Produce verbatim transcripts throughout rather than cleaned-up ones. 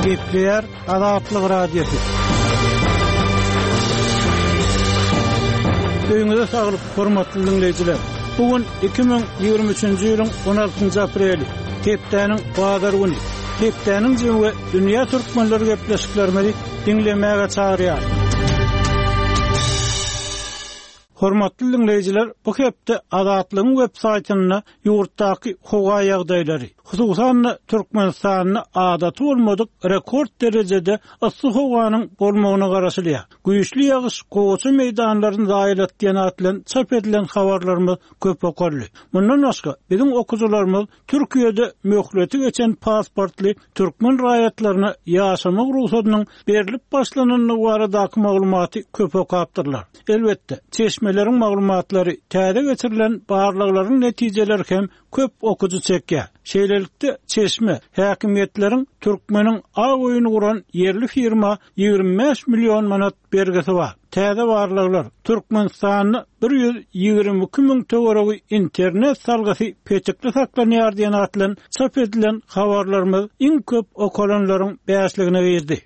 Gepleýär Azatlyk Radiosy. Öýüňize saglyk, hormatly diňleýjiler. Bu gün iki müň ýigrimi üçünji ýylyň on altynjy apreli, hepdäniň bazar güni. Hepdäniň jemi we dünýä türkmenleri gepleşiklerimizi diňlemäge çagyrýar. Hormatly diňleýjiler, bu hepde Azatlygyň web saýtynda ýurtdaky howa ýagdaýlary, hususan-da Türkmenistanda adaty bolmadyk rekord derejede yssy howanyň bolmagyna garaşylýar. Güýçli ýagyş gowaça meýdanlaryny zaýalat diýen atlan çap edilen habarlarymyz köp okaldy. Mundan başga biziň okyjylarymyz Türkiýede möhleti geçen pasportly türkmen raýatlaryna ýaşamak rugsadynyň berlip başlanandygy baradaky maglumaty köp okapdyrlar. Elbetde, çeşmeleriň maglumatlary, täze geçirilen barlaglaryň netijeleri hem köp okyjy çekýär. Şeýlelikde çeşme häkimiýetleriň türkmeniň aw oýuny guran ýerli firma ýigrimi bäş million manat bergisi bar. Täze barlaglar Türkmenistanda bir ýüz ýigrimi iki müň töweregi internet salgysy petikli saklanýar diýen atlan çap edilen habarlarymyz iň köp okalanlaryň bäşligine girdi.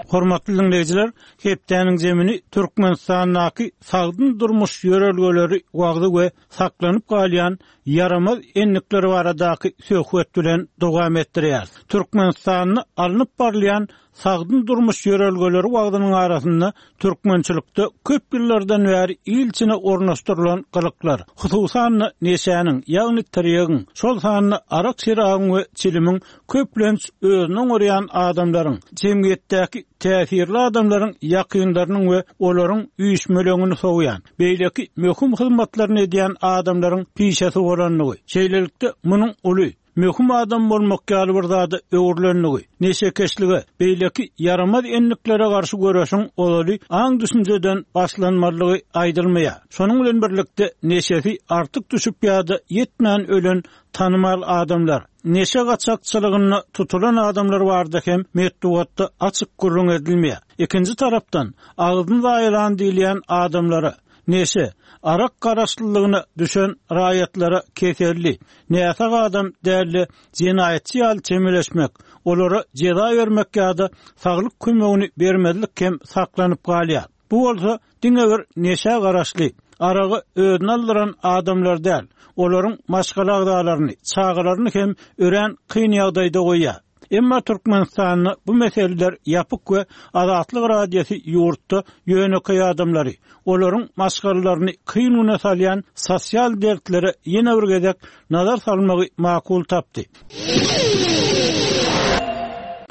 Hormatly dinleýjiler, hepdäniň zemini Türkmenistandaky sagdyn durmuş ýörelgeleri wagzy we saklanyp galýan ýaramaz enlikler baradaky söhbet bilen dowam etdirýär. Türkmenistanda alnyp barylýan sagdyn durmuş ýörelgeleri wagzynyň arasynda türkmençilikde köp ýyllardan bäri ilçine ornaşdyrylan gylyklar, hususan-da neşäniň, ýagny tirýegiň, şol sanda arak şerabyň we çilimiň köplenç özüne oňarýan adamlaryň, jemgyýetdäki täsirli adamlaryň ýakynlarynyň we olaryň üýşmeleňini sowýan, beýleki möhüm hyzmatlaryny edýän adamlaryň pişesi bolandygy, şeýlelikde munuň uly möhüm adam bolmak ýaly bir zada öwrülenligi, neşekeşlige, beýleki ýaramaz enliklere garşy göreşiň ozaly aň düşünjeden başlanmalygy aýdylmaýar. Şonuň bilen birlikde neşesi artyk düşüp ýa-da ýetmän ölen tanymal adamlar, neşe gaçakçylygynda tutulan adamlar bardy hem metbugatda açyk gürrüň edilmeýär. Ikinji tarapdan agzyny zaýalan diýilýän adamlara neşe, arak garaşlylygyna düşen raýatlara keselli, näsag adam dälli jenaýatçy ýaly çemeleşmek, olara jeza bermek ýa-da saglyk kömegini bermezlik hem saklanyp galýar. Bu bolsa diňe bir neşe garaşly, aragy özüne aldyran adamlar däl, olaryň maşgala agzalaryny, çagalaryny hem örän kyn ýagdaýda goýýar. Emma Türkmenistanda bu meseleler ýapyk we Azatlyk Radiosy ýurtda ýönekeý adamlary, olaryň maşgalalaryny kyn güne salýan sosial dertlere ýene bir gezek nazar salmagy makul tapdy.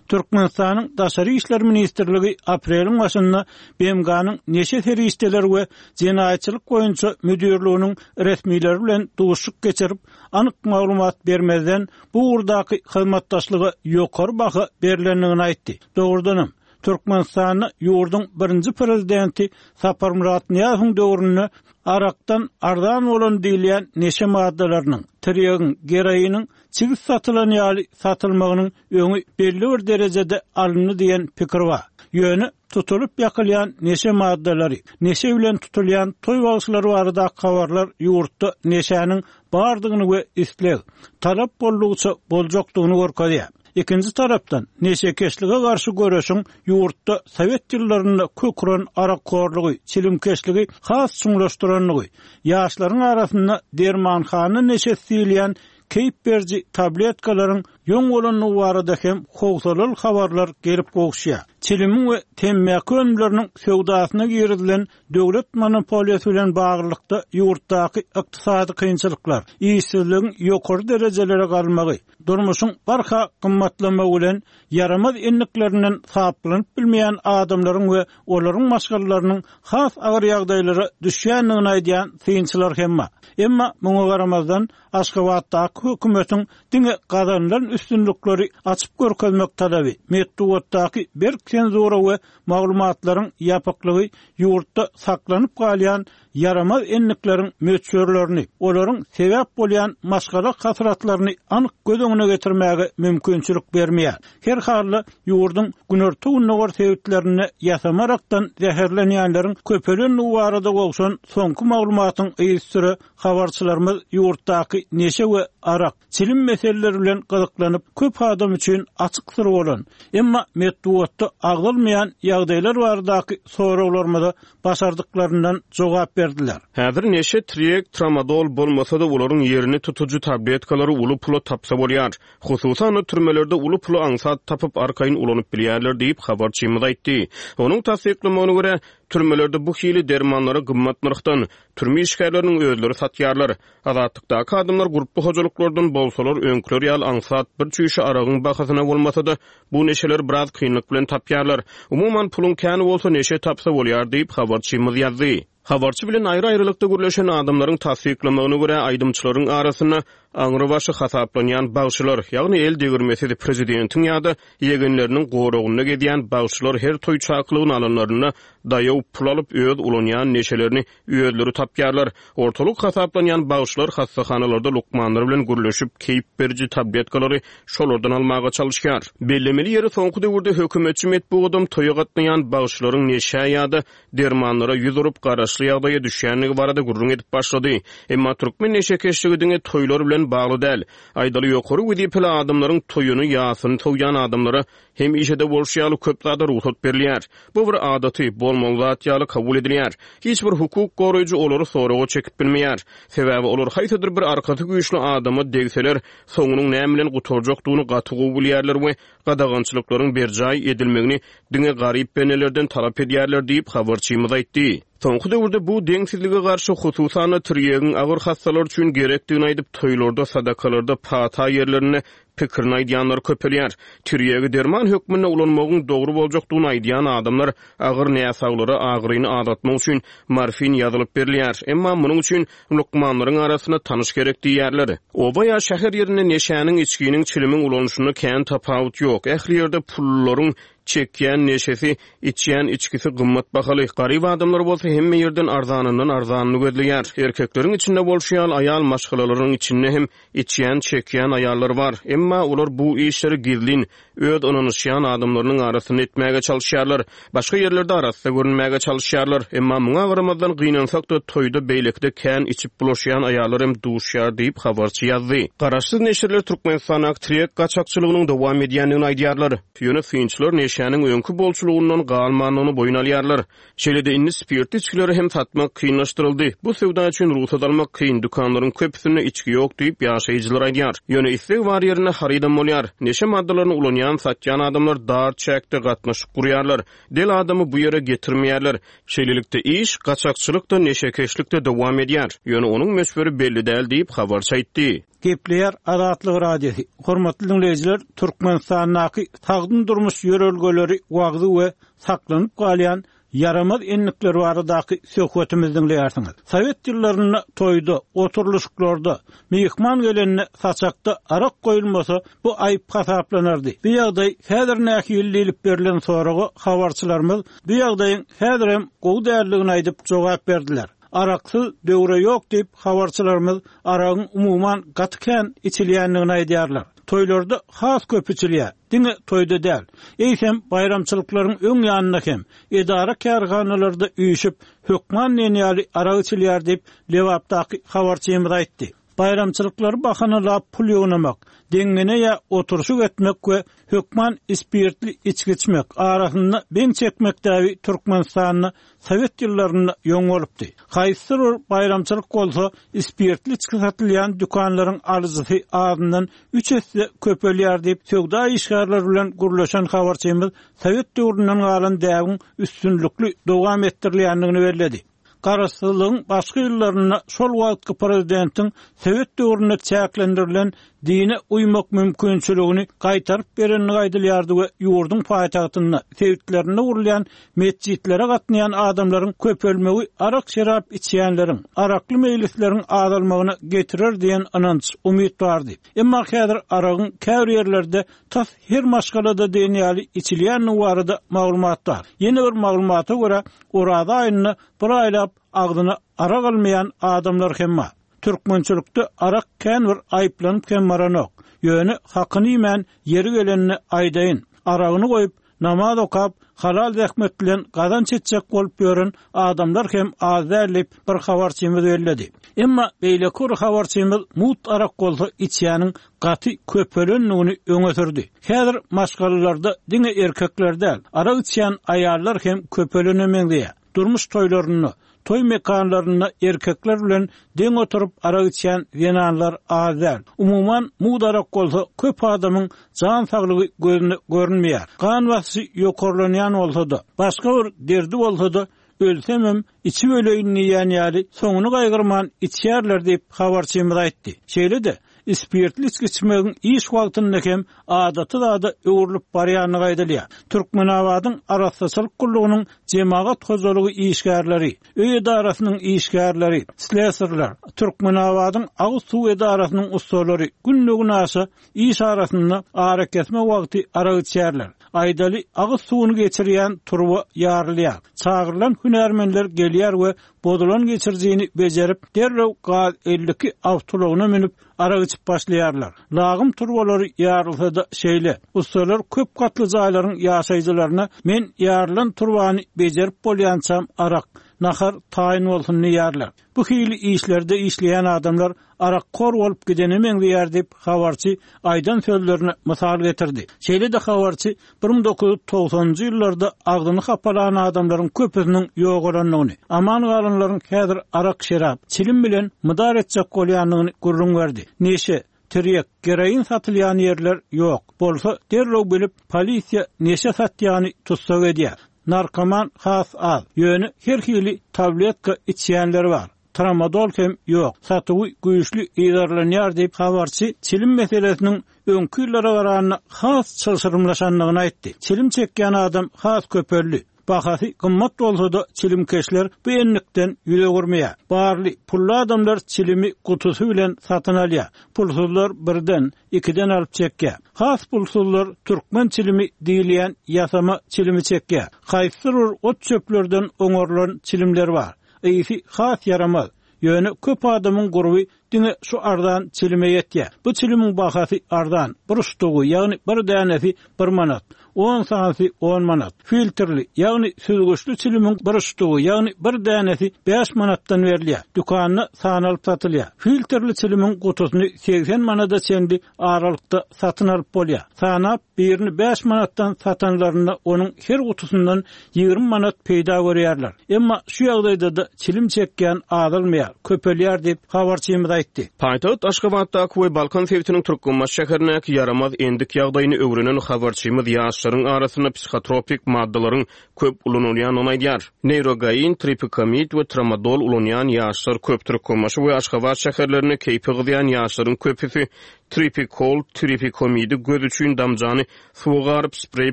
Türkmenistanyň Daşary İşler Ministrligi apreliň başynda B M G-nyň neşe serişdeleri we jenaýatçylyk boýunça müdirliginiň resmileri bilen duşuşyk geçirip, anyk maglumat bermezden bu ugurdaky hyzmatdaşlyga ýokary baha berilendigini aýtdy. Dogrudanam, Türkmenistanda ýurduň birinji prezidenti Saparmyrat Nyýazowyň döwründe arakdan arzan bolan diýilýän neşe maddalarynyň, tirýegiň, geroiniň çigit satylan ýaly satylmagynyň öňi belli bir derejede alyndy diýen pikir bar. Ýöne tutulyp ýakylýan neşe maddalary, neşe bilen tutulýan toý bagşylary baradaky habarlar ýurtda neşäniň bardygyny we isleg, talap boldugyça boljakdygyny görkezýär. Ikinji tarapdan neşekeşlige garşy göreşiň ýurtda Sowet ýyllarynda köküren arak horlugy, çilimkeşligi has çuňlaşdyranlygy, ýaşlaryň arasynda dermanhana neşesi diýilýän keýp beriji tabletkalaryň ýoň bolandygy barada hem howsalaly habarlar gelip gowuşýar. Çilimiň we temmäki önümleriniň söwdasyna girizilen döwlet monopoliýasy bilen baglylykda ýurtdaky ykdysady kynçylyklar, işsizligiň ýokary derejelere galmagy, durmuşyň barha gymmatlamagy bilen ýaramaz enliklerinden saplanyp bilmeýän adamlaryň we olaryň maşgalalarynyň has agyr ýagdaýlara düşýändigini aýdýan synçylar hem bar. Emma muňa garamazdan Aşgabatdaky hökümetiň diňe gazanylan üstünlikleri açyp görkezmek talaby, metbugatdaky berk senzura we maglumatlaryň ýapyklygy ýurtda saklanyp galýan ýaramaz endikleriň möçberlerini, olaryň sebäp bolýan maşgala hasratlaryny anyk göz öňüne getirmäge mümkinçilik bermeýär. Her halda ýurduň günorta-gündogar sebitlerinde ýasama arakdan zäherlenýänleriň köpelendigi barada gowşan soňky maglumatyň yzysüre habarçylarymyz ýurtdaky neşe we arak, çilim meseleleri bilen gyzyklanyp, köp adam üçin açyk syr bolan, emma metbugatda agzalmaýan ýagdaýlar baradaky soraglarymyza başardyklaryndan jogap berdiler. Häzir neşe, tirýek, tramadol bolmasa-da, olaryň ýerini tutujy tabletkalary uly pula tapsa bolýar. Hususan-da, türmelerde uly puly aňsat tapyp, arkaýyn ulanyp bilýärler diýip, habarçymyz aýtdy. Onuň tassyklamagyna görä, türmelerde bu hili dermanlary gymmat nyrhdan türme işgärleriniň özleri satýarlar. Azatlykdaky adamlar gurply hojalyklardan bolsalar, öňküler ýaly aňsat bir çüýşe aragyň bahasyna bolmasa-da, bu neşeleri biraz kynlyk bilen tapýarlar. Umuman, puluň käni bolsa neşe tapsa bolýar diýip, habarçymyz ýazdy. Habarçy bilen aýry-aýrylykda gürleşen adamlaryň tassyklamagyna görä, aýdymçylaryň arasynda aňrybaşy hasaplanýan bagşylar, ýagny el degirmesiz prezidentiň ýa-da ýegenleriniň goragynda gezýän bagşylar her toý çakylygyny alanlarynda daýaw pul alyp, öz ulanýan neşelerini özleri tapýarlar. Ortalyk hasaplanýan bagşylar hassahanalarda lukmanlar bilen gürleşip, keýp beriji tabletkalary şolardan almaga çalyşýar. Bellemeli ýeri, soňky döwürde hökümetçi metbugadam toýa gatnaýan bagşylaryň neşä ýa-da dermanlara ýüz urup, garaşly ýagdaýa düşýändigi barada gürrüň edip başlady. Emma türkmen neşekeşligi diňe toýlar bilen bagly däl. Aýdaly, ýokary wezipeli adamlaryň toýuny, ýasyny sowýan adamlara hemişe-de bolşy ýaly köp zada rugsat berilýär. Bu bir adaty, bolmaly zat ýaly kabul edilýär. Hiç bir hukuk goraýjy olary soraga çekip bilmeýär. Sebäbi olar haýsydyr bir arkasy güýçli adama degseler, soňunyň näme bilen gutarjakdygyny gaty gowy bilýärler we gadagançylyklaryň berjaý edilmegini diňe garyp bendelerden talap edýärler diýip, habarçymyz aýtdy. Soňky döwürde bu deňsizlige garşy, hususan-da, tirýegiň agyr hassalar üçin gerekdigini aýdyp, toýlarda, sadakalarda, pata ýerlerinde pikirini aýdýanlar köpelýär. Tirýegi derman hökmünde ulanmagyň dogry boljakdygyny aýdýan adamlar agyr näsaglara agyryny azaltmak üçin morfin ýazylyp berilýär. Emma munuň üçin lukmanlaryň arasynda tanyş gerek diýýärler. Oba ýa şäher ýerinde neşäniň, içginiň, çilimiň ulanyşynda kän tapawut ýok. Ähli ýerde pullularyň çekýän neşesi, içýän içgisi gymmat bahaly. Garyp adamlar bolsa hemme ýerden arzanyndan arzanyny gözleýär. Erkekleriň içinde bolşy ýaly aýal maşgalalaryň içinde hem içýän, çekýän aýallar bar. Emma olar bu işleri gizlin, öz ynanyşýan adamlarynyň arasynda etmäge çalyşýarlar. Başga ýerlerde arassa görünmäge çalyşýarlar. Emma muňa garamazdan gynansak-da toýda beýlekide kän içip bulaşýan aýallar hem duşýar diýip, habarçy ýazdy. Garaşsyz neşirler Türkmenistandaky tirýek gaçakçylygynyň dowam edýändigini aýdýarlar. Ýöne synçylar neşäniň öňki bolçulygyndan galmandygyny boýun alýarlar. Şeýle-de indi spirtli içgileri hem satmak kynlaşdyryldy. Bu söwda üçin rugsat almak kyn, dükanlaryň köpüsinde içgi ýok diýip, ýaşaýjylar aýdýar. Ýöne isleg bar ýerinde harydam bolýar. Neşe maddalaryny ulanýan, satýan adamlar dar çäkde gatnaşyk gurýarlar. Del adamy bu ýere getirmeýärler. Şeýlelikde, iş gaçakçylyk-da, neşekeşlik-de dowam edýär. Ýöne onuň möçberi belli däl diýip, habarçy aýtdy. Gepleýär Azatlyk Radiosy. Hormatly diňleýjiler, Türkmenistandaky sagdyn durmuş ýörelgeleri wagzy we saklanyp galýan ýaramaz endikler baradaky söhbetimizi diňleýärsiňiz. Sowet ýyllarynda toýda, oturylyşyklarda, myhman gelende saçakda arak goýulmasa, bu aýyp hasaplanardy. Bu ýagdaý häzir nähili diýlip berlen soraga habarçylarymyz bu ýagdaýyň häzirem gowy däldigini aýdyp jogap berdiler. Araksyz döwre ýok diýip, habarçylarymyz aragyň umuman gaty kän içilýändigini aýdýarlar. Toýlarda has köp içilýär. Diňe toýda däl, eýsem baýramçylyklaryň öň ýanynda hem edara-kärhanalarda üýşüp, hökman diýen ýaly arak içilýär diýip, Lebapdaky habarçymyz aýtdy. Baýramçylyklary bahanalap pul ýygnamak, deňňene ýa oturyşyk etmek we hökman ispirtli içgi içmek, arasynda beň çekmek däbi Türkmenistanda sowet ýyllarynda ýoň bolupdy. Haýsydyr bir baýramçylyk bolsa, ispirtli içgi satylýan dükanlaryň alyjysy azyndan üç esse köpelýär diýip, söwda işgärleri bilen gürleşen habarçymyz sowet döwründen galan däbiň üstünlikli dowam etdirilýändigini belledi. Garaşsyzlygyň başky ýyllarynda şol wagtky prezidentiň sowet döwründe çäklendirilen dine uýmak mümkinçiligini gaýtaryp berendigi aýdylýardy we ýurduň paýtagtynda, sebitlerinde gurulýan metjitlere gatnaýan adamlaryň köpelmegi arak-şerap içýänleriň, arakly meýlisleriň azalmagyna getirer diýen ynanç, umyt bardy. Emma häzir aragyň käbir ýerlerde tas her maşgalada diýen ýaly içilýändigi barada maglumat bar. Ýene bir maglumata görä, Oraza aýynda bir aýlap agzyna arak almaýan adamlar hem bar. Türkmençilikde arak kän bir aýyplanyp hem baranok. Ýöne hakyny iýmän ýeri gelenini aýdaýyn. Aragyny goýup, namaz okap, halal zähmet bilen gazanç etjek bolup ýören adamlar hem az däl diýip bir habarçymyz belledi. Emma beýleki bir habarçymyz mugt arak bolsa içýäniň gaty köpelendigini öňe sürdi. Häzir maşgalalarda diňe erkekler däl, arak içýän aýallar hem köpelene meňzeýär. Durmuş toýlarynda, toý mekanlarynda erkekler bilen deň oturyp arak içýän zenanlar az däl. Umuman mugt arak bolsa köp adamyň jan saglygy gözüne görünmeýär. Gan basyşy ýokarlanýan bolsa-da, başga bir derdi bolsa-da, ölsemem içip öleýin diýýän ýaly soňuny gaýgyrman içýärler diýip habarçymyz aýtdy. Şeýle-de spirtli içgi içmegiň iş wagtynda hem adaty zada öwrülip barýandygy aýdylýar. Türkmenabadyň arassaçylyk gullugynyň jemagat hojalygy işgärleri, öý edarasynyň işgärleri, sleserler, Türkmenabadyň agyz suw edarasynyň ussalary günde aşa iş arasynda arakesme wagty arak içýärler. Aýdaly agyz suwuny geçirýän turba ýarylýar. Çagyrylan hünärmenler gelýär we bozulan geçirijini bejerip, derrew gaz elli iki awtoulagyna münüp arak içip başlaýarlar. Lagym turbalary ýarylsa-da şeýle. Ussalar köp gatly jaýlaryň ýaşaýjylaryna men ýarylan turbany bejerip bolýançam arak, nahar taýyn bolsun diýýärler. Bu hili işlerde işleýän adamlar arak kor bolup gidene meňzeýär diýip habarçy aýdan sözlerine mysal getirdi. Şeýle-de habarçy bir müň dokuz ýüz togsanynjy ýyllarda agzyny hapalan adamlaryň köpüsiniň ýogalandygyny, aman galanlaryň häzir arak şerap, çilim bilen mydar etjek bolýandygyny gürrüň berdi. Neşe, tirýek, geroin satylýan ýerler ýok. Bolsa derrew bilip polisiýa neşe satýany tutsak edýär. Narkoman has az. Ýöne her hili tabletka içýänler bar. Tramadol hem ýok. Satuwy güýçli yzarlanýar diýip habarçy çilim meselesiniň öňki ýyllara garanda has çylşyrymlaşandygyny aýtdy. Çilim çekýän adam has köpeldi. Bahasy gymmat bolsa-da çilimkeşler bu enlikden ýüz öwürmeýär. Barly pully adamlar çilimi gutusy bilen satyn alýar. Pulsuzlar birden, ikiden alyp çekýär. Has pulsuzlar türkmen çilimi diýilýän ýasama çilimi çekýär. Haýsydyr bir ot çöplerden oňarylan çilimler bar. Ýygy has ýaramaz. Ýöne köp adamyň gurby diňe şu arzan çilime ýetýär. Bu çilimin bahasy arzan, bir ştugy, ýagny bir dänesi bir manat, on santy on manat. Filtrli, ýagny süzgüçli çilimin bir ştugy, ýagny bir dänesi bäş manatdan berilýär. Dükanda sanalyp satylýar. Filtrli çilimin gutusyny seksen manada çenli aralykda satyn alyp bolýar. Sanap birini bäş manatdan satanlarynda onuň her gutusyndan ýigrimi manat peýda görýärler. Emma şu ýagdaýda da çilim çekýän azalmaýar, köpelýär diýip habarçymyz aýtdy. Paýtagt Aşgabatdaky we Balkan sebitiniň Türkmenbaşy şäherindäki ýaramaz endik ýagdaýyny öwrenen habarçymyz ýaşlaryň arasynda psihotropik maddalaryň köp ulanylýandygyny aýdýar. Neurogain, tripikamid we tramadol ulanýan ýaşlar köp. Türkmenbaşy we Aşgabat şäherlerinde keýpi gyzýan ýaşlaryň köpüsi tripikol, tripikomidi göz üçin damjany suwa garyp spreý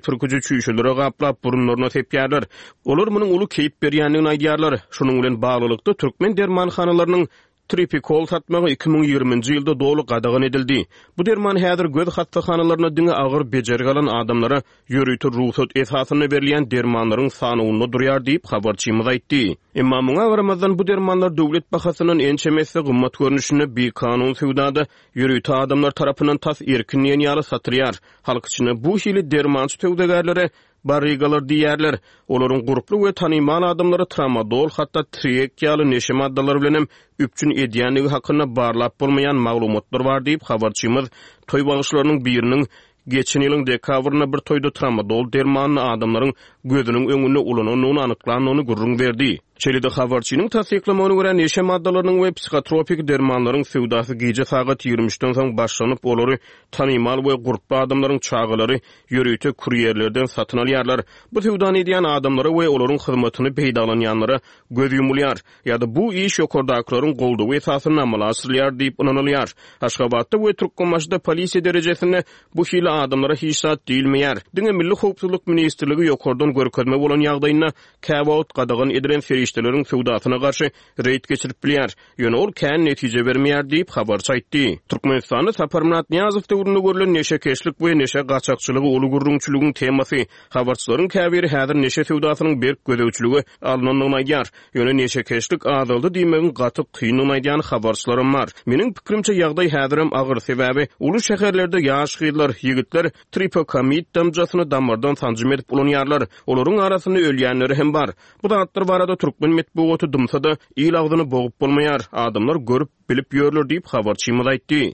pürküji çüýşelere gaplap burunlaryna sepýärler. Olar munuň uly keýp berýändigini aýdýarlar. Şunuň bilen baglylykda türkmen dermanhanalarynyň tripikol satmagy iki müň ýigriminji ýylda doly gadagan edildi. Bu derman häzir göz hassahanalarynda diňe agyr bejergi alan adamlara ýörite rugsat esasynda berilýän dermanlaryň sanawynda durýar diýip habarçymyz aýtdy. Emma muňa garamazdan bu dermanlar döwlet bahasyndan ençeme esse gymmat görnüşinde bikanun söwdada ýörite adamlar tarapyndan tas erkin diýen ýaly satylýar. Halk içinde bu hili dermançy söwdagärlere barrigalar diýerler. Olaryň gurply we tanymal adamlary tramadol, hatda triek ýaly neşe maddalary bilen hem üpjün edýändigi hakynda barlap bolmaýan maglumatlar bar diýip habarçymyz toý bagşylarynyň biriniň geçen ýylyň dekabrynda bir toýda tramadol dermanyny adamlaryň gözüniň öňünde ulanandygyny anyklandygyny gürrüň berdi. Şeýle-de habarçynyň tassyklamagyna görä neşe maddalarynyň we psihotropik dermanlaryň söwdasy gije sagat ýigrimi üçden soň başlanyp, olary tanymal we gurply adamlaryň çagalary ýörite kurýerlerden satyn alýarlar. Bu söwdany edýän adamlara we olaryň hyzmatyny peýdalanýanlara göz ýumulýar ýa-da bu iş ýokardakylaryň goldawy esasynda amala aşyrylýar diýip ynanylýar. Aşgabatda we Türkmenbaşyda polisiýa derejesinde bu hili adamlara hiç zat diýilmeýär. Diňe Milli Howpsuzlyk Ministrligi ýokardan görkezme bolan ýagdaýynda käwagt gadagan edilen serişdeleriň söwdasyna garşy reýd geçirip bilýär. Ýöne ol kän netije bermeýär diýip, habarçy aýtdy. Türkmenistanda Saparmyrat Nyýazow döwründe görlen neşekeşlik we neşe gaçakçylygy uly gürrüňçiligiň temasy. Habarçylaryň käbiri häzir neşe söwdasynyň berk gözegçilige alnandygyny aýdýar. Ýöne neşekeşlik azaldy diýmegiň gaty kyndygyny aýdýan habarçylaram bar. Meniň pikirimçe, ýagdaý häzirem agyr, sebäbi uly şäherlerde ýaş gyzlar, ýigitler tripokamid damjasyny damardan sanjym edip ulanýarlar. Olaryň arasynda ölýänleri hem bar. Bu zatlar barada türkmen metbugaty dymsa-da, il agzyny bogup bolmaýar. Adamlar görüp, bilip ýörler diýip, habarçymyz aýtdy.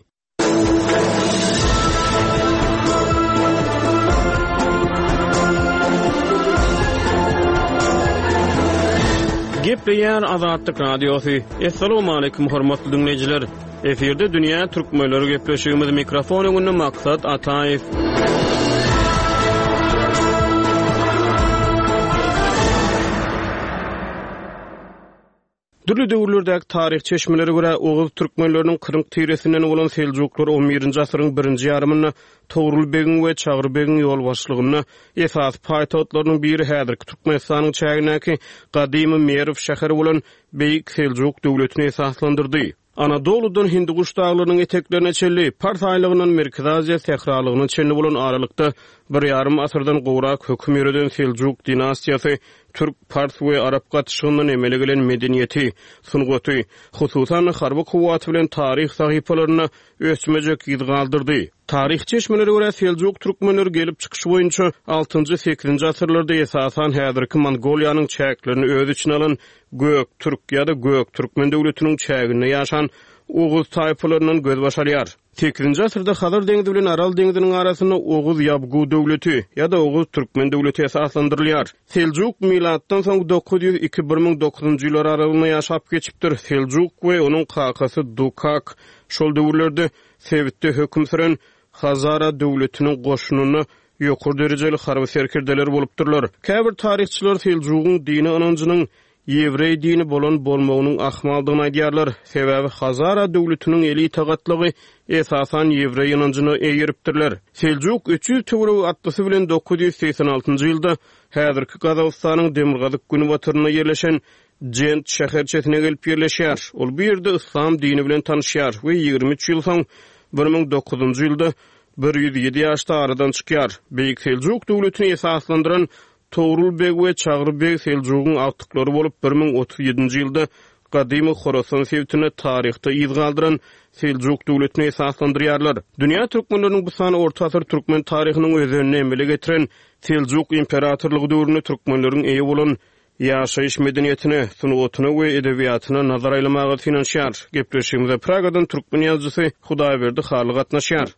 Gepleýär Azatlyk Radiosy. Assalamualaikum hormatly dinleýjiler. Efirde Dünýä Türkmenleri gepleşigimiz mikrofon öňünde Maksat Ataýew. Dürli döwürlerdäki taryh çeşmelere görä Oguz türkmenleriniň Kyrk tiresinden bolan Seljuklar on birinji asyryň birinji ýarymynda Togrul begiň we Çagry begiň ýolbaşçylygynda esasy paýtagtlarynyň biri häzirki Türkmenistanyň çägindäki gadymy Merw şäheri bolan Beýik Seljuk döwletini esaslandyrdy. Anadoludan Hindiguş daglarynyň eteklerine çenli, Pars aýlagyndan Merkezi Aziýa sähralygyna çenli bolan aralykda bir ýarym asyrdan gowrak höküm ýöreden Seljuk dinastiýasy türk, pars we arap gatyşygyndan emele gelen medeniýeti, sungaty, hususan harby kuwwaty bilen taryh sahypalarynda ösmejek ýyz galdyrdy. Taryh çeşmelere görä Seljuk türkmenleri gelip çykyşy boýunça altynjy sekizinji asyrlarda esasan häzirki Mongoliýanyň çäklerini öz içine alan Gök Türk ýa-da Gök Türkmen döwletiniň çäginde ýaşan Oguz taýpalaryndan gözbaş alýar. sekizinji asyrda Hazar deňzi bilen Aral deňziniň arasynda Oguz Ýabgu döwleti ýa-da Oguz Türkmen döwleti esaslandyrylýar. Seljuk milatdan soň dokuz ýüz iki bir müň dokuzynjy ýyllar aralygynda ýaşap geçipdir. Seljuk we onuň kakasy Dukak şol döwürlerde sebitde höküm süren Hazara döwletiniň goşunynda ýokary derejeli harby serkerdeler bolupdyrlar. Käbir taryhçylar Seljugyň dini ynanjynyň ýewreý dini bolan bolmagynyň ahmaldygyny aýdýarlar. Sebäbi Hazara döwletiniň elita gatlagy esasan ýewreý ynanjyna eýeripdirler. Seljuk üç ýüz töweregi atlysy bilen dokuz ýüz seksen altynjy ýylda häzirki Gazagystanyň demirgazyk günbatarynda ýerleşen Jent şäherçesine gelip ýerleşýär. Ol bu ýerde yslam dini bilen tanışýar we ýigrimi üç ýyl soň bir müň dokuzynjy ýylda bir ýüz ýedi ýaşda aradan çykýar. Beýik Seljuk döwletini esaslandyran Togrul beg we Çagry beg Seljugyň agtyklary bolup bir müň otuz ýedinji ýylda gadymy Horasan sebitinde taryhda yz galdyran Seljuk döwletini esaslandyrýarlar. Dünýä türkmenleriniň bu sany orta asyr türkmen taryhynyň özenini emele getiren Seljuk imperatorlygy döwründe türkmenleriň eýe bolan ýaşaýyş medeniýetine, sungatyna we edebiýatyna nazar aýlamaga synanyşýar. Gepleşigimize Pragadan türkmen ýazyjysy Hudaýberdi Hally gatnaşýar.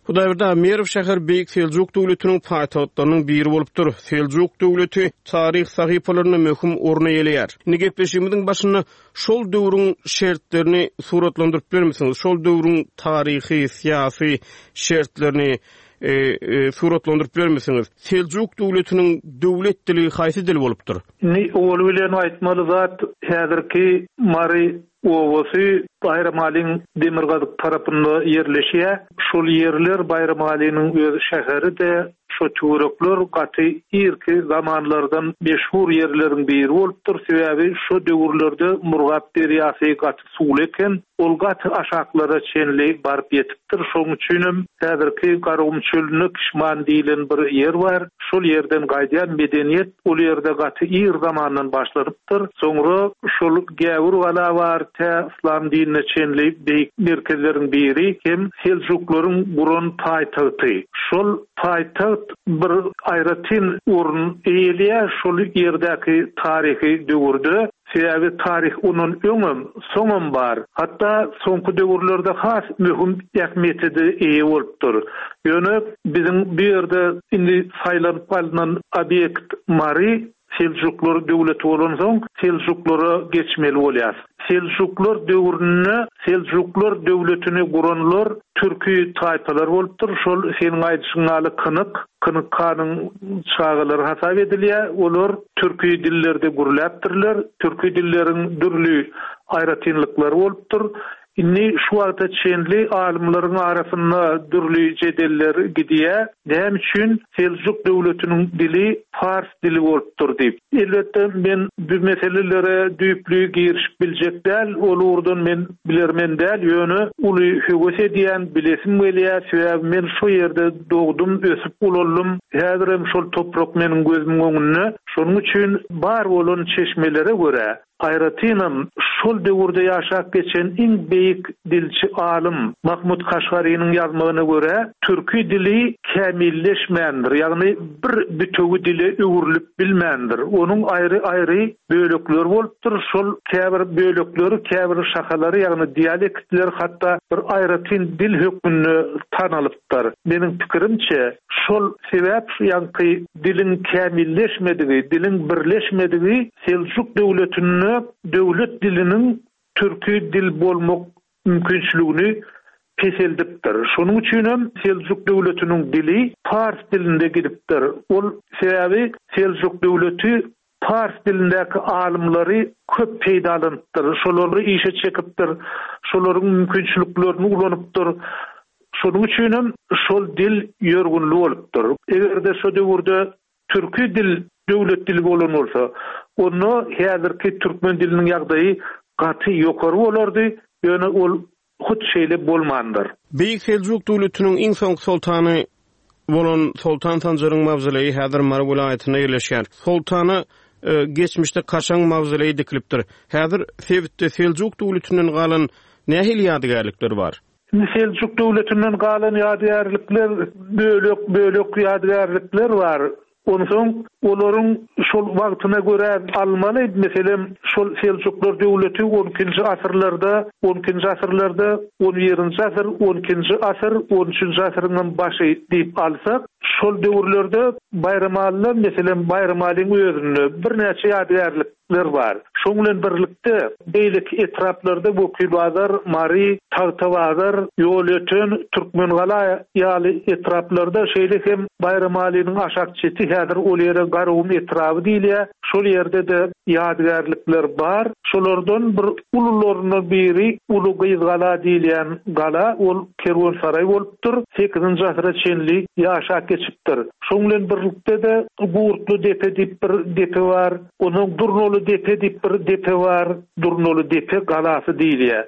Hudaýberdi Merw şäher Beýik Seljuk döwletiniň paýtagtlarynyň biri bolupdyr. Seljuk döwleti taryh sahypalarynda möhüm orun eýeleýär. Indi gepleşigimiziň başynda şol döwrüň şertlerini suratlandyryp bilermisiňiz? Şol döwrüň taryhy, syýasy şertlerini, e, e, suratlandyryp bilermisiňiz? Seljuk döwletiniň döwlet dili haýsy dil bolupdyr? Indi owal bilen aýtmaly zat häzirki Mary obasy Baýramalyň demirgazyk tarapynda ýerleşýär. Şol ýerler Baýramalynyň öz şäheri-de şo töwerekler gaty irki zamanlardan meşhur ýerleriň biri bolupdyr. Sebäbi şo döwürlerde Murgap derýasy gaty suwly eken, ol gaty aşaklara çenli baryp ýetipdir. Şonuň üçinem häzirki Garagum çölünde Kişman diýilen bir ýer bar. Şol ýerden gaýdýan medeniýet ol ýerde gaty ir zamandan başlanypdyr. Soňra şol Gäwür gala bar, tä Islam dinine çenli beýik merkezleriň biri hem Seljuklaryň guran paýtagty. Şol paýtagt bir aýratyn orun eýeleýär şol ýerdäki taryhy döwürde. Sebäbi taryh ondan öňem, soňam bar. Hatda soňky döwürlerde has möhüm ähmiýete eýe bolupdyr. Ýöne biziň bu ýerde indi saýlanyp alynan obýekt Mary Seljuklar döwleti bolansoň Seljuklara geçmeli bolýar. Seljuklar döwründe Seljuklar döwletini guranlar türki taýpalar bolupdyr. Şol seniň aýdyşyň ýaly Kynyk, Kynyk hanyň çagalary hasap edilýär. Olar türki dillerde gürläpdirler. Türki dilleriň dürli aýratynlyklary bolupdyr. Indi şu wagta çenli alymlaryň arasynda dürli jedeller gidýär. Näme üçin Seljuk döwletiniň dili pars dili bolupdyr diýip. Elbetde men bu meselelere düýpli girişip biljek däl, ol ugurdan men bilermen däl, ýöne uly höwes edýän, bilesim gelýär, sebäbi men şu ýerde dogdum, ösüp ulaldym. Häzirem şol toprak meniň gözümiň öňünde. Şonuň üçin bar bolan çeşmelere görä, aýratynam şol döwürde ýaşap geçen iň beýik dilçi alym Mahmut Kaşgarynyň ýazmagyna görä, türki dili kämilleşmändir, ýagny bir bütewi dile öwrülip bilmändir. Onuň aýry-aýry bölekleri bolupdyr, şol käbir bölekleri, käbir şahalary, ýagny dialektler hatda bir aýratyn dil hökmünde tanalypdyr. Meniň pikirimçe, şol sebäp ýaňky diliň kämilleşmedigi, diliň birleşmedigi Seljuk döwletinde döwlet diliniň türki dil bolmak mümkinçiligini peseldipdir. Şonuň üçin hem Seljuk döwletiniň dili pars dilinde gidipdir. Ol sebäbi Seljuk döwleti pars dilindäki alymlary köp peýdalanypdyr. Şolary işe çekipdir. Şolaryň mümkinçiliklerini ulanypdyr. Şonuň üçin hem şol dil ýörgünli bolupdyr. Eger-de şo döwürde türki dil döwlet dili bolan bolsa, onda häzirki türkmen diliniň ýagdaýy gaty ýokary bolardy, ýöne ol hut şeýle bolmandyr. Beýik Seljuk döwletiniň iň soňky soltany bolan Soltan Sanjaryň mawzoleýi häzir Mary welaýatynda ýerleşýär. Soltana e, geçmişde kaşaň mawzoleýi dikilipdir. Häzir sebitde Seljuk döwletinden galan nähili ýadygärlikler bar? Indi Seljuk döwletinden galan ýadygärlikler bölek-bölek ýadygärlikler bar. Onsoň olaryň şol wagtyna görä almaly, meselem, şol Seljuklar döwleti on ikinji asyrlarda, on ikinji asyrlarda, on birinji asyr, on ikinji asyr, on üçünji asyryň başy diýip alsak, şol döwürlerde Baýramalyda, meselem, Baýramalyň özünde birnäçe ýadygärlikler bar. Şoň bilen birlikde beýleki etraplarda Wekilbazar, Mary, Tagtabazar, Ýolöten, Türkmengala ýaly etraplarda, şeýle hem Baýramalynyň aşak çeti häzir ol ýere Garagum etraby diýilýär. Şol ýerde-de ýadygärlikler bar. Şolardan bir ulularyndan biri Uly Gyzgala diýilýän gala, ol kerwensaraý bolupdyr. sekizinji asyra çenli ýaşap geçipdir. Şoň bilen birlikde-de Gurtly depe diýip bir depe bar. Onuň Durnaly depe diýip bir depe bar. Durnaly depe galasy diýilýär.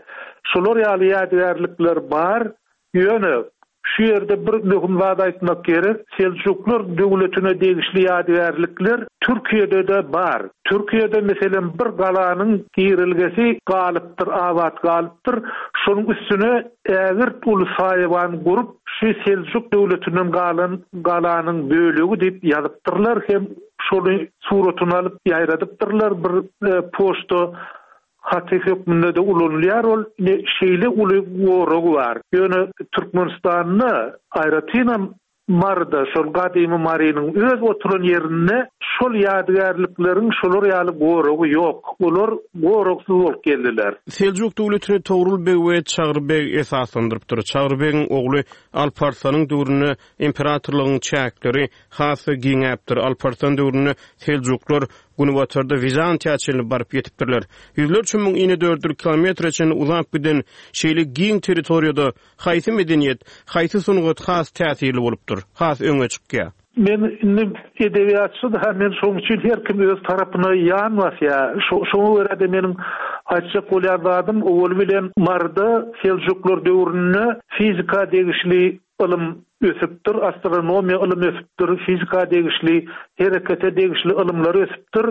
Şolar ýaly ýadygärlikler bar. Ýöne şu ýerde bir möhüm zat aýtmak gerek. Seljuklar döwletine degişli ýadygärlikler Türkiýede-de bar. Türkiýede meselem bir galanyň girilgesi galypdyr, abat galypdyr. Şonuň üstüne ägirt uly saýawan gurup, şu Seljuk döwletinden galan galanyň bölegi diýip ýazypdyrlar hem şony suratyny alyp ýaýradypdyrlar. Bir, e, poçta haty hökmünde de ulanylýar ol. Ne şeýle uly goragy bar. Ýöne Türkmenistanda aýratynam Maryda, şol gadymy Marynyň öz oturan ýerinde şol ýadygärlikleriň şolar ýaly goragy ýok. Olar goragsyz bolup geldiler. Seljuk döwletini Togrul beg we Çagry beg esaslandyrypdyr. Çagry begiň ogly Alparslanyň döwründe imperatorlygyň çäkleri has giňäpdir. Alparslan döwründe Seljuklar Günbatarda Wizantiýa çenli baryp ýetipdirler. Ýüzlerçe müň inedördül kilometre çenli uzap giden şeýle giň territoriýada haýsy medeniýet, haýsy sungat has täsirli bolupdyr, has öňe çykýar? Men indi edebiýatçy da, men şonuň üçin her kim öz tarapyna ýan basýar. Şo-, şoňa görä de meniň aýtjak bolýan zadym, owal bilen Maryda Seljuklar döwründe fizika degişli ylym ösüpdir, astronomiýa ylym ösüpdir, fizika degişli, herekete degişli ylymlar ösüpdir.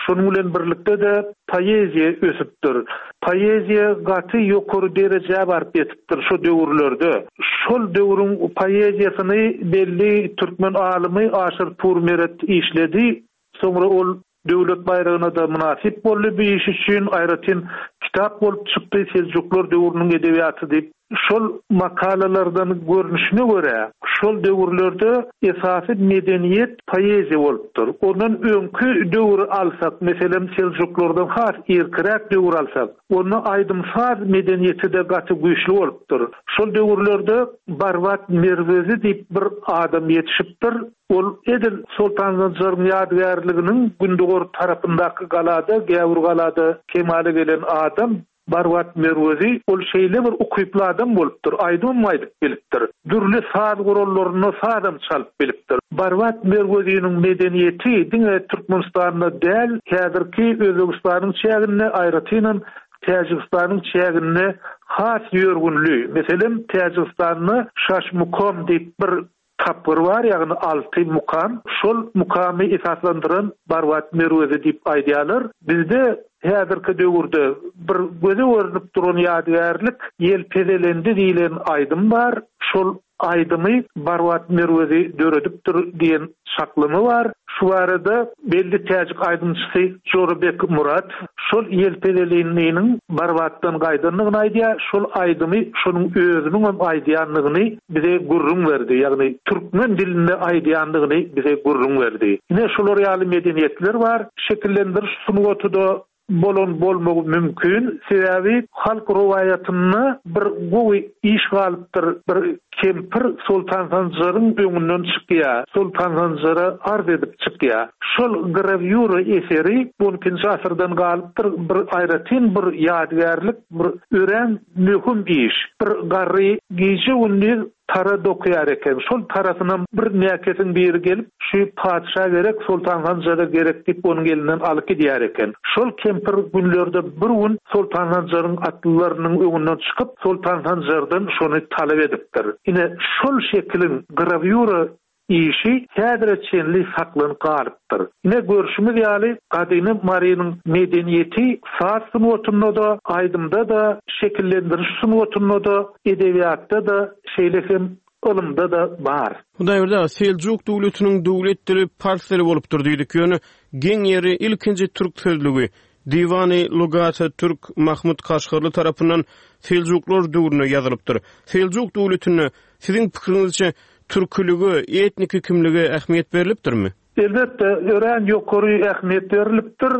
Şonuň bilen birlikde de poeziýa ösüpdir. Poeziýa gaty ýokary derejä baryp ýetipdir şu döwürlerde. Şol döwrüň poeziýasyny belli türkmen alymy Aşyr Purmeret işledi. Soňra ol döwlet baýragyna da mynasyp boldy bu iş üçin, aýratyn kitap bolup çykdy Seljuklar döwrüniň edebiýaty diýip. Şol makalalardan görnüşine görä, şol döwürlerde esasy medeniýet poeziýa bolupdyr. Ondan öňki döwri alsak, meselem Seljuklardan has irkiräk döwür alsak, onda aýdym-saz medeniýeti de gaty güýçli bolupdyr. Şol döwürlerde Barbat Merwezi diýip bir adam ýetişipdir. Ol edil Soltan Sanjaryň ýadygärliginiň gündogar tarapyndaky galada, Gäwür galada kemala gelen adam. Barbat Merwezi ol şeýle bir ukyply adam bolupdyr, aýdymam aýdyp bilipdir. Dürli saz gurallarynda sazam çalyp bilipdir. Barbat Merweziniň medeniýeti diňe Türkmenistanda däl, häzirki Özbegistanyň çäginde, aýratynam Täjigistanyň çäginde has ýörgünli. Meselem, Täjigistanda Şaşmukom diýip bir tapgyr bar, ýagny alty mukam. Şol mukamy esaslandyran Barbat Merwezi diýip aýdýarlar. Bizde häzirki döwürde bir göze görnüp duran ýadygärlik Ýelpezelendi diýlen aýdym bar. Şol aýdymy Barbat Merwezi döredipdir diýen çaklama bar. Şu barada belli täjik aýdymçysy Jorabek Muratow şol Ýelpezelindiniň Barbatdan gaýdandygyny aýdýar, şol aýdymy şonuň özüniňem aýdýandygyny bize gürrüň berdi, ýagny türkmen dilinde aýdýandygyny bize gürrüň berdi. Ine şolar ýaly medeniýetler bar. Şekillendiriş sungaty-da bolan bolmagy mümkin. Sebäbi halk rowaýatynda bir gowy iş galypdyr. Bir kempir Soltan Sanjaryň öňünden çykýar. Soltan Sanjara arz edip çykýar. Şol grawýura eseri on ikinji asyrdan galypdyr. Bir aýratyn bir ýadygärlik, bir örän möhüm iş. Bir garry gije-gündiz tara dokaýar eken. Şol tarasynam bir näkesiň biri gelip, şu patyşa gerek, Soltan Sanjara gerek diýip onuň elinden alyp gidýär eken. Şol kempir günlerde bir gün Soltan Sanjaryň atlylarynyň öňünden çykyp, Soltan Sanjardan şony talap edipdir. Ine şol şekiliň grawýura işi häzire çenli saklanyp galypdyr. Ine görşümiz ýaly gadymy Marynyň medeniýeti saz sungatynda-da, aýdymda-da, şekillendiriş sungatynda-da, edebiýatda-da, şeýle hem ylymda-da bar. Hudaýberdi aga, Seljuk döwletiniň döwlet dili pars dili bolupdyr diýdik, ýöne geň ýeri ilkinji türk sözlügi Diwany Lugata Türk Mahmut Kaşgarly tarapyndan Seljuklar döwründe ýazylypdyr. Seljuk döwletinde siziň pikiriňizçe türkülige, etniki kimlige ähmiýet berlipdirmi? Elbetde, örän ýokary ähmiýet berlipdir.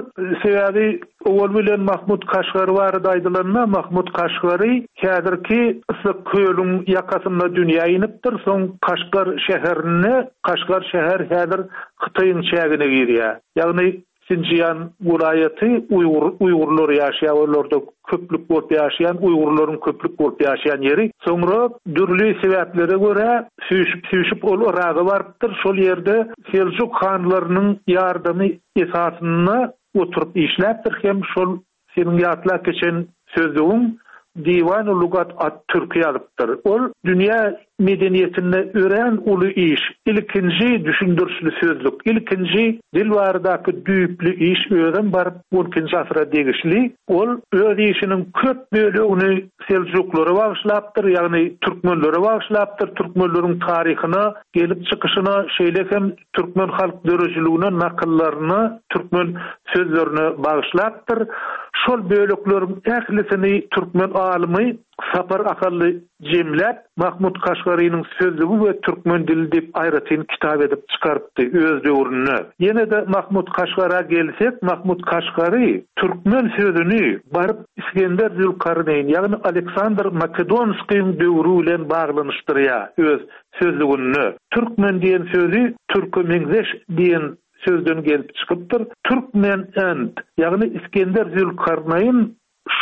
Sebäbi owal bilen Mahmut Kaşgary barada aýdylanda, Mahmut Kaşgary häzirki Issyk kölüň ýakasynda dünýä inipdir. Soň Kaşgar şäherinde, Kaşgar şäher häzir Hytaýyň çägine girýär. Ýagny Sinjian welaýaty Uýgur, Uýgurlar ýaşaýar, olarda köplük bolup ýaşaýan, Uýgurlaryň köplük bolup ýaşaýan ýeri. Soňra dürli sebäplere görä süýşüp-süýşüp ol Yraga barypdyr. Şol ýerde Seljuk hanlarynyň ýardamy esasynda oturyp işläpdir hem şol seniň ýatlap geçen sözlügiň Diwany Lugat at-Türki ýazypdyr. Ol dünýä medeniýetinde örän uly iş, ilkinji düşündirişli sözlük, ilkinji dil baradaky düýpli iş özem baryp on ikinji asyra degişli. Ol öz işiniň köp bölegini Seljuklara bagyşlapdyr, ýagny türkmenlere bagyşlapdyr, türkmenleriň taryhyna, gelip çykyşyna, şeýle hem türkmen halk döredijiligine, nakyllaryna, türkmen sözlerine bagyşlapdyr. Şol bölekleriň ählisini türkmen alymy Sapar Ahally jemläp, Mahmut Kaşgarynyň sözlügi we türkmen dili diýip aýratyn kitap edip çykarypdy öz döwründe. Ýene-de Mahmut Kaşgara gelsek, Mahmut Kaşgary türkmen sözüni baryp Iskender Zülkarneýn, ýagny Aleksandr Makedonskiň döwri bilen baglanyşdyrýar öz sözlüginde. Türkmen diýen sözi türke meňzeş diýen sözden gelip çykypdyr. Türkmen end, ýagny Iskender Zülkarneýn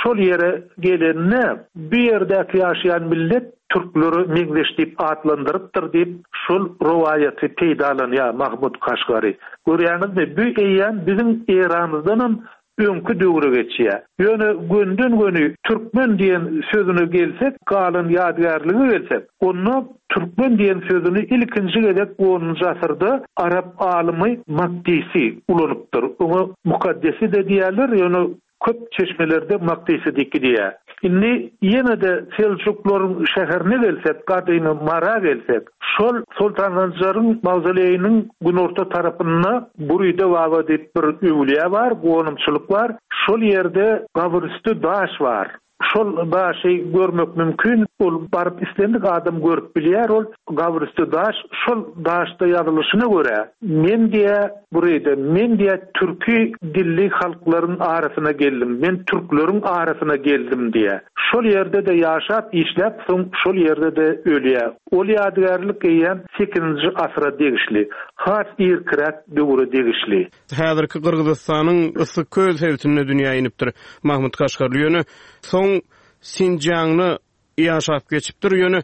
şol ýere gelende bu ýerdäki ýaşaýan millet türklere meňzeş diýip atlandyrypdyr diýip şol rowaýaty peýdalanýar Mahmut Kaşgary. Görýäňizmi, bu eýýäm biziň eramyzdanam öňki döwre geçýär. Ýöne gönden-göni türkmen diýen sözüne gelsek, galan ýadygärlige gelsek, onda türkmen diýen sözüni ilkinji gezek onunjy asyrda arap alymy Makdisi ulanypdyr. Oňa Mukaddesi de diýerler, ýöne köp çeşmelerde Makdisi diýip gidýär. Indi ýene-de Seljuklaryň şäherine gelsek, gadymy Mara gelsek, şol Soltan Sanjaryň mawzoleýiniň günorta tarapynda Buride Baba diýip bir öwlüýä bar, gonamçylyk bar. Şol ýerde gabyrüstü daş bar. Şol daşy görmek mümkin, ol baryp islendik adam görüp bilýär, ol gabyrüstü daş, şol daşda ýazylyşyna görä, men diýä buride, men diýä türki dilli halklaryň arasyna geldim, men türkleriň arasyna geldim diýä. Şol ýerde de ýaşap, işläp, soň şol ýerde de ölýär. Ol ýadygärlik eýýäm sekizinji asyra degişli, has irkiräk döwre degişli. Häzirki Gyrgyzystanyň Issyk köl sebitinde dünýä inipdir. Mahmut Kaşgarly ýöne Soň Sinjiangda ýaşap geçipdir, ýöne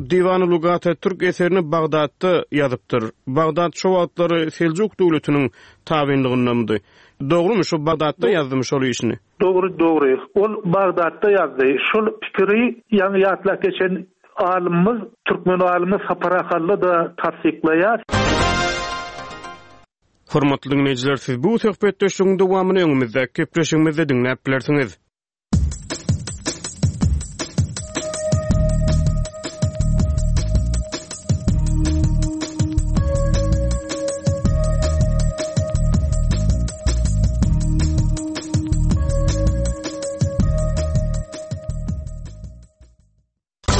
Diwany Lugat Türk eserini Bagdatda ýazypdyr. Bagdat şo wagtlary Seljuk döwletiniň tabynlygyndamydy? Dogrumy, şo Bagdatda ýazdymy şol işini? Dogry, dogry. Ol Bagdatda ýazdy. Şol pikiri ýaňy ýatlap geçen alymymyz, türkmen alymy Sapar Ahally-da tassyklaýar. Hormatly diňleýjiler, siz bu söhbetdeşligiň dowamyny öňümizdäki gepleşigimizde diňläp bilersiňiz.